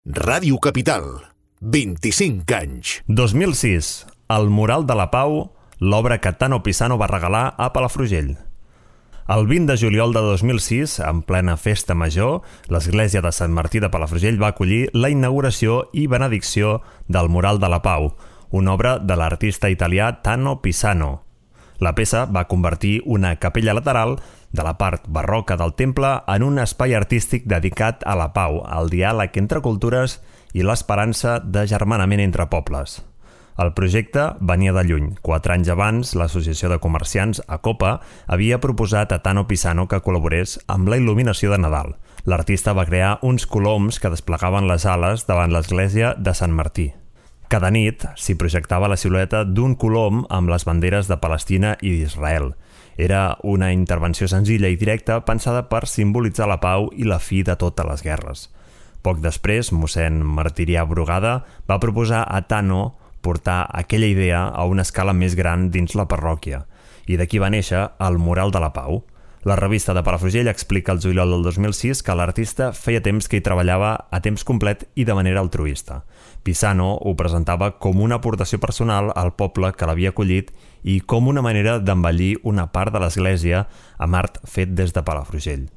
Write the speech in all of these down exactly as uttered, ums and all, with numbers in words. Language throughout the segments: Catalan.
Ràdio Capital, vint-i-cinc anys. dos mil sis. El Mural de la Pau, l'obra que Tano Pisano va regalar a Palafrugell. El vint de juliol de dos mil sis, en plena festa major, l'església de Sant Martí de Palafrugell va acollir la inauguració i benedicció del Mural de la Pau, una obra de l'artista italià Tano Pisano. La peça va convertir una capella lateral de la part barroca del temple en un espai artístic dedicat a la pau, al diàleg entre cultures i l'esperança d'agermanament entre pobles. El projecte venia de lluny. Quatre anys abans, l'Associació de Comerciants, ACOPA, havia proposat a Tano Pisano que col·laborés amb la il·luminació de Nadal. L'artista va crear uns coloms que desplegaven les ales davant l'església de Sant Martí. Cada nit s'hi projectava la silueta d'un colom amb les banderes de Palestina i d'Israel. Era una intervenció senzilla i directa pensada per simbolitzar la pau i la fi de totes les guerres. Poc després, mossèn Martirià Brugada va proposar a Tano portar aquella idea a una escala més gran dins la parròquia, i d'aquí va néixer el Mural de la Pau. La revista de Palafrugell explica el juliol del dos mil sis que l'artista feia temps que hi treballava a temps complet i de manera altruista. Pisano ho presentava com una aportació personal al poble que l'havia acollit i com una manera d'embellir una part de l'església amb art fet des de Palafrugell.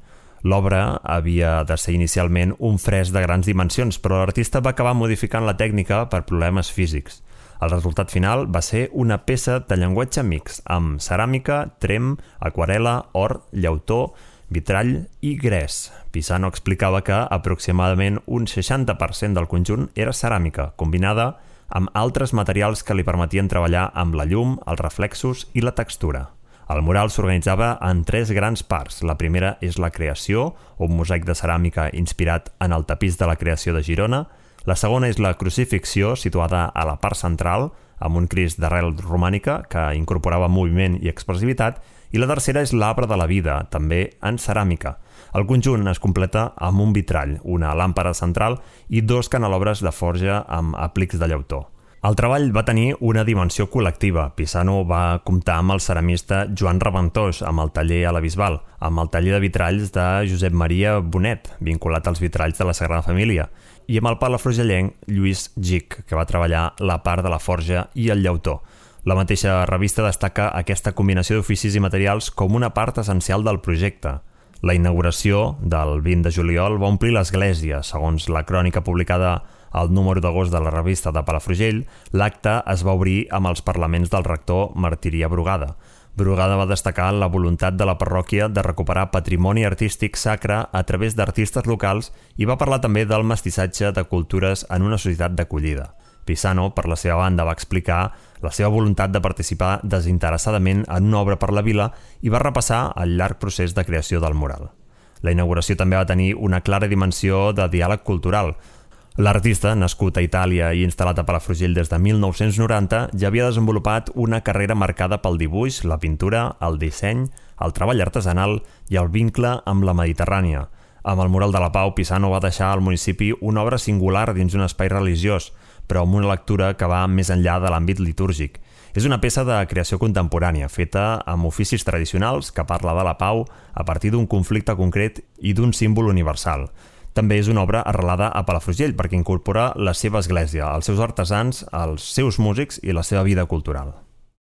L'obra havia de ser inicialment un fresc de grans dimensions, però l'artista va acabar modificant la tècnica per problemes físics. El resultat final va ser una peça de llenguatge mix, amb ceràmica, trem, aquarela, or, llautó, vitrall i gres. Pisano explicava que aproximadament un seixanta per cent del conjunt era ceràmica, combinada amb altres materials que li permetien treballar amb la llum, els reflexos i la textura. El mural s'organitzava en tres grans parts. La primera és la creació, un mosaic de ceràmica inspirat en el tapís de la creació de Girona. La segona és la crucifixió, situada a la part central, amb un Crist d'arrel romànica que incorporava moviment i expressivitat, i la tercera és l'arbre de la vida, també en ceràmica. El conjunt es completa amb un vitrall, una làmpara central i dos canelobres de forja amb aplics de llautó. El treball va tenir una dimensió col·lectiva. Pisano va comptar amb el ceramista Joan Raventós, amb el taller a la Bisbal, amb el taller de vitralls de Josep Maria Bonet, vinculat als vitralls de la Sagrada Família, i amb el palafrugellenc Lluís Gic, que va treballar la part de la forja i el llautó. La mateixa revista destaca aquesta combinació d'oficis i materials com una part essencial del projecte. La inauguració del vint de juliol va omplir l'església. Segons la crònica publicada al número d'agost de la revista de Palafrugell, l'acte es va obrir amb els parlaments del rector Martirià Brugada. Brugada va destacar la voluntat de la parròquia de recuperar patrimoni artístic sacre a través d'artistes locals i va parlar també del mestissatge de cultures en una societat d'acollida. Pisano, per la seva banda, va explicar la seva voluntat de participar desinteressadament en una obra per la vila i va repassar el llarg procés de creació del mural. La inauguració també va tenir una clara dimensió de diàleg cultural. L'artista, nascut a Itàlia i instal·lat a Palafrugell des de mil nou-cents noranta, ja havia desenvolupat una carrera marcada pel dibuix, la pintura, el disseny, el treball artesanal i el vincle amb la Mediterrània. Amb el Mural de la Pau, Pisano va deixar al municipi una obra singular dins un espai religiós, però amb una lectura que va més enllà de l'àmbit litúrgic. És una peça de creació contemporània, feta amb oficis tradicionals que parla de la pau a partir d'un conflicte concret i d'un símbol universal. També és una obra arrelada a Palafrugell perquè incorpora la seva església, els seus artesans, els seus músics i la seva vida cultural.